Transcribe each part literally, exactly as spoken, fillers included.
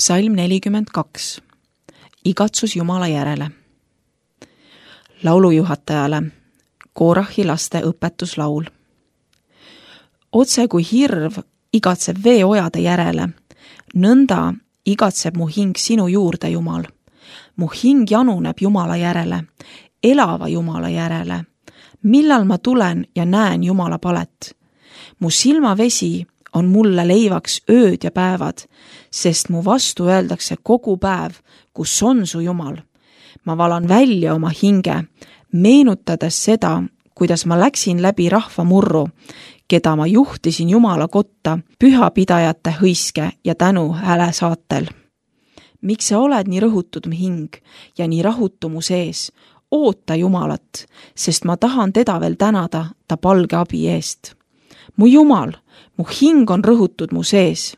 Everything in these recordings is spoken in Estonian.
Psalm nelikümmend kaks. Igatsus Jumala järele. Laulujuhatajale Koorahi laste õpetuslaul. Otse kui hirv igatseb veeojade järele, nõnda igatseb mu hing sinu juurde, Jumal. Mu hing januneb Jumala järele, elava Jumala järele. Millal ma tulen ja näen Jumala palet? Mu silmavesi on mulle leivaks ööd ja päevad, sest mu vastu öeldakse kogu päev, kus on su Jumal. Ma valan välja oma hinge, meenutades seda, kuidas ma läksin läbi rahva murru, keda ma juhtisin Jumala kotta pühapidajate hõiske ja tänu hääle saatel. Miks sa oled nii rõhutud mu hing ja nii rahutu mu sees? Oota Jumalat, sest ma tahan teda veel tänada ta palge abi eest. Mu Jumal, mu hing on rõhutud mu sees.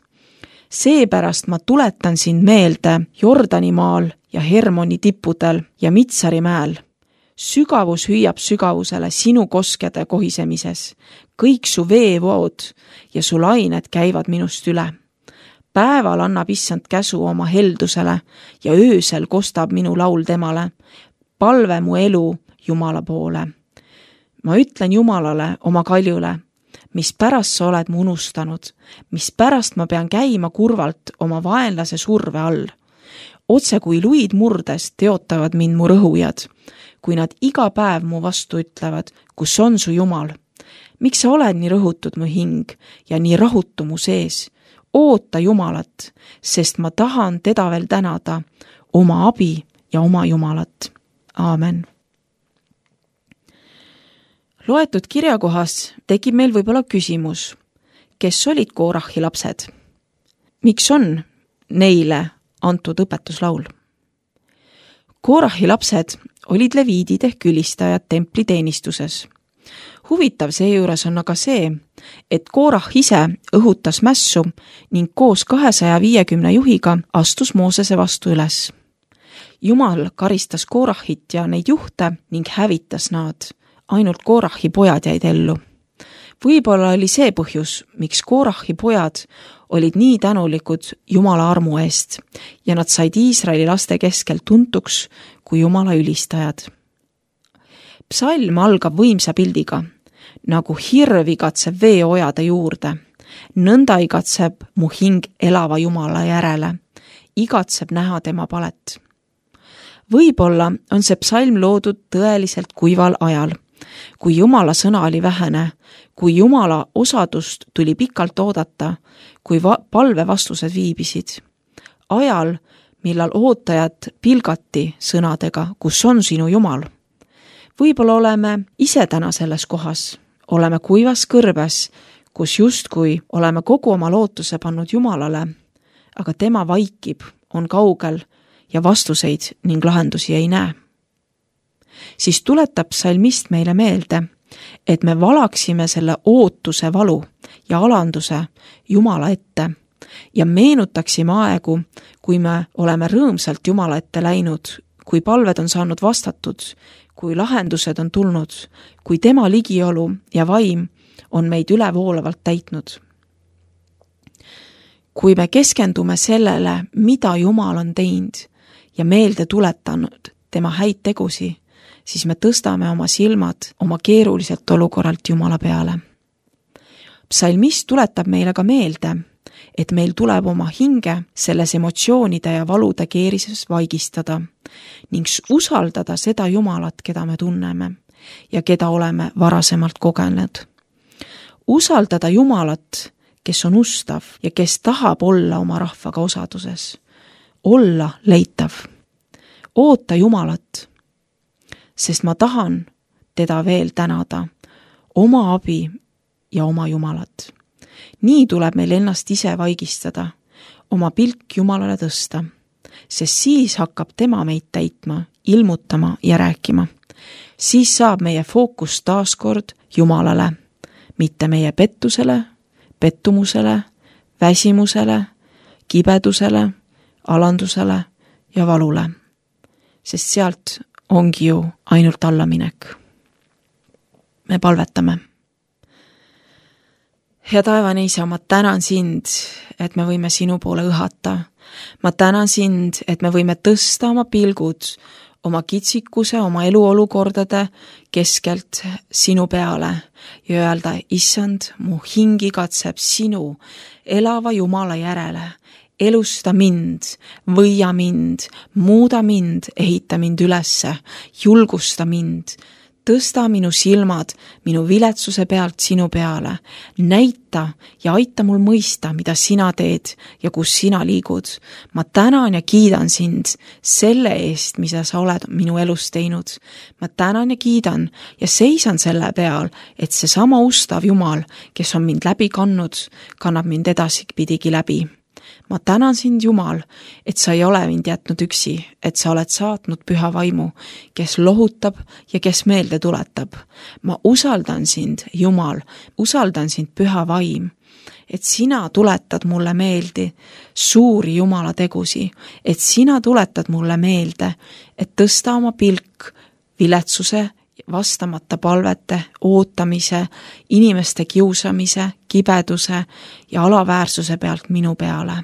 Seepärast ma tuletan sind meelde Jordani maal ja Hermoni tippudel ja Mitsari mäel. Sügavus hüüab sügavusele sinu koskede kohisemises. Kõik su veevood ja su lained käivad minust üle. Päeval annab issand käsu oma heldusele ja öösel kostab minu laul temale. Palve mu elu Jumala poole. Ma ütlen Jumalale oma kaljule, mis pärast sa oled mu unustanud, mis pärast ma pean käima kurvalt oma vaenlase surve all. Otse kui luid murdes teotavad mind mu rõhujad, kui nad iga päev mu vastu ütlevad, kus on su Jumal. Miks sa oled nii rõhutud mu hing ja nii rahutu mu sees? Oota Jumalat, sest ma tahan teda veel tänada, oma abi ja oma Jumalat. Aamen. Loetud kirjakohas tekib meil võib-olla küsimus, kes olid Koorahi lapsed? Miks on neile antud õpetuslaul? Koorahi lapsed olid leviidid ehk ülistajad templi teenistuses. Huvitav seejuures on aga see, et Koorah ise õhutas mässu ning koos kahesaja viiekümne juhiga astus Moosese vastu üles. Jumal karistas Koorahit ja neid juhte ning hävitas nad. Ainult Koorahi pojad jäid ellu. Võib-olla oli see põhjus, miks Koorahi pojad olid nii tänulikud Jumala armu eest ja nad said Iisraeli laste keskel tuntuks kui Jumala ülistajad. Psalm algab võimsa pildiga, nagu hirv igatseb veeojade juurde. Nõnda igatseb mu hing elava Jumala järele, igatseb näha tema palet. Võib-olla on see psalm loodud tõeliselt kuival ajal, kui Jumala sõna oli vähene, kui Jumala osadust tuli pikalt oodata, kui va- palve vastused viibisid. Ajal, millal ootajad pilgati sõnadega, kus on sinu Jumal. Võib-olla oleme ise täna selles kohas, oleme kuivas kõrbes, kus justkui oleme kogu oma lootuse pannud Jumalale, aga tema vaikib, on kaugel ja vastuseid ning lahendusi ei näe. Siis tuletab psalmist meile meelde, et me valaksime selle ootuse valu ja alanduse Jumala ette ja meenutaksime aegu, kui me oleme rõõmsalt Jumala ette läinud, kui palved on saanud vastatud, kui lahendused on tulnud, kui tema ligiolu ja vaim on meid ülevoolavalt täitnud. Kui me keskendume sellele, mida Jumal on teinud ja meelde tuletanud tema häid tegusi, siis me tõstame oma silmad oma keeruliselt olukorralt Jumala peale. Psalmist tuletab meile ka meelde, et meil tuleb oma hinge selles emotsioonide ja valude keerises vaigistada ning usaldada seda Jumalat, keda me tunneme ja keda oleme varasemalt kogenud. Usaldada Jumalat, kes on ustav ja kes tahab olla oma rahvaga osaduses. Olla leitav. Oota Jumalat, sest ma tahan teda veel tänada, oma abi ja oma Jumalat. Nii tuleb meil ennast ise vaigistada, oma pilk Jumalale tõsta, sest siis hakkab tema meid täitma, ilmutama ja rääkima. Siis saab meie fookus taaskord Jumalale, mitte meie pettusele, pettumusele, väsimusele, kibedusele, alandusele ja valule, sest sealt ongi ju ainult allaminek. Me palvetame. hea taevane Isa, ma tänan sind, et me võime sinu poole õhata. Ma tänan sind, et me võime tõsta oma pilgud, oma kitsikuse, oma eluolukordade keskelt sinu peale ja öelda, issand, mu hing igatseb sinu elava Jumala järele. Elusta mind, võia mind, muuda mind, ehita mind ülesse, julgusta mind, tõsta minu silmad minu viletsuse pealt sinu peale, näita ja aita mul mõista, mida sina teed ja kus sina liigud. Ma tänan ja kiidan sind selle eest, mida sa oled minu elus teinud. Ma tänan ja kiidan ja seisan selle peal, et see sama ustav Jumal, kes on mind läbi kannud, kannab mind edaspidigi läbi. Ma tänan sind, Jumal, et sa ei ole mind jätnud üksi, et sa oled saatnud püha vaimu, kes lohutab ja kes meelde tuletab. Ma usaldan sind, Jumal, usaldan sind, püha vaim, et sina tuletad mulle meelde suuri Jumala tegusi, et sina tuletad mulle meelde, et tõsta oma pilk viletsuse, vastamata palvete, ootamise, inimeste kiusamise, kibeduse ja alaväärsuse pealt minu peale.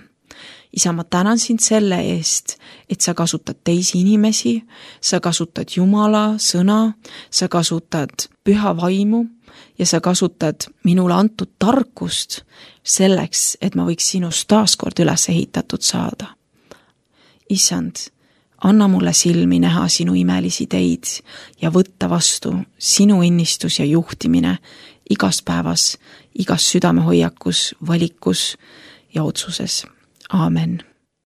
Isa, ma tänan sind selle eest, et sa kasutad teisi inimesi, sa kasutad Jumala sõna, sa kasutad püha vaimu ja sa kasutad minule antud tarkust selleks, et ma võiks sinust taaskord üles ehitatud saada. Issand, anna mulle silmi näha sinu imelisi teid ja võtta vastu sinu innistus ja juhtimine igas päevas, igas südamehoiakus, valikus ja otsuses. Aamen.